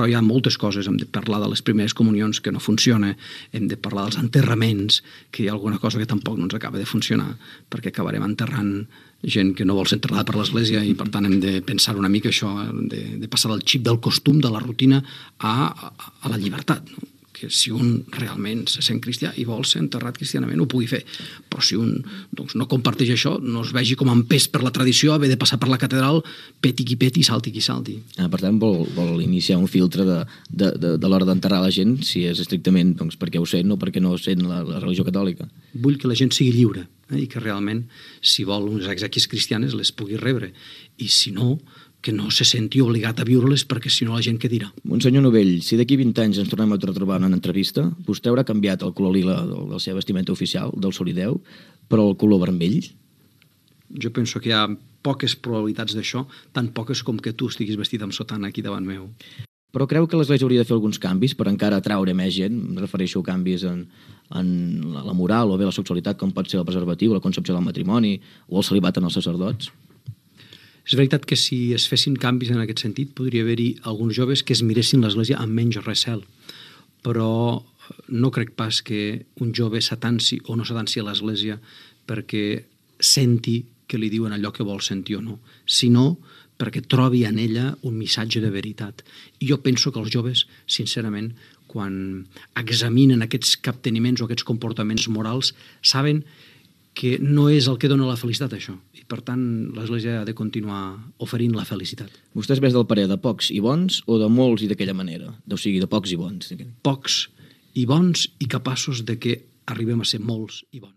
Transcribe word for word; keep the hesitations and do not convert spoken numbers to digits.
Però hi ha moltes coses, hem de parlar de les primeres comunions que no funciona, hem de parlar dels enterraments, que hi ha alguna cosa que tampoc no ens acaba de funcionar, perquè acabarem enterrant gent que no vol ser enterrada per l'Església i per tant hem de pensar una mica això, de, de passar del xip del costum, de la rutina, a, a, a la llibertat, no? Que si un realment se sent cristià i vol ser enterrat cristianament ho pugui fer, però si un doncs, no comparteix això, no es vegi com empès per la tradició, haver de passar per la catedral, peti qui peti, salti qui salti. Ah, per tant, vol, vol iniciar un filtre de, de, de, de l'hora d'enterrar la gent, si és estrictament doncs, perquè ho sent o perquè no ho sent la, la religió catòlica. Vull que la gent sigui lliure, eh, i que realment, si vol unes exèquies cristianes, les pugui rebre, i si no, que no se senti obligat a viure-les perquè si no la gent què dirà. Monsenyor Novell, si d'aquí vint anys ens tornem a trobar en una entrevista, vostè haurà canviat el color lila de la seva vestimenta oficial, del solideu, però el color vermell? Jo penso que hi ha poques probabilitats d'això, tan poques com que tu estiguis vestit amb sotana aquí davant meu. Però creu que l'Església hauria de fer alguns canvis per encara atraure més gent? Em refereixo a canvis en, en la moral o bé la sexualitat, com pot ser el preservatiu, la concepció del matrimoni o el celibat en els sacerdots? És veritat que si es fessin canvis en aquest sentit podria haver-hi alguns joves que es miressin l'Església amb menys recel, però no crec pas que un jove s'atansi o no s'atansi a l'Església perquè senti que li diuen allò que vol sentir o no, sinó perquè trobi en ella un missatge de veritat. I jo penso que els joves, sincerament, quan examinen aquests capteniments o aquests comportaments morals, saben que no és el que dona la felicitat, això. I, per tant, l'Església ha de continuar oferint la felicitat. Vostè és més del parer de pocs i bons o de molts i d'aquella manera? O sigui, de pocs i bons. Pocs i bons i capaços de que arribem a ser molts i bons.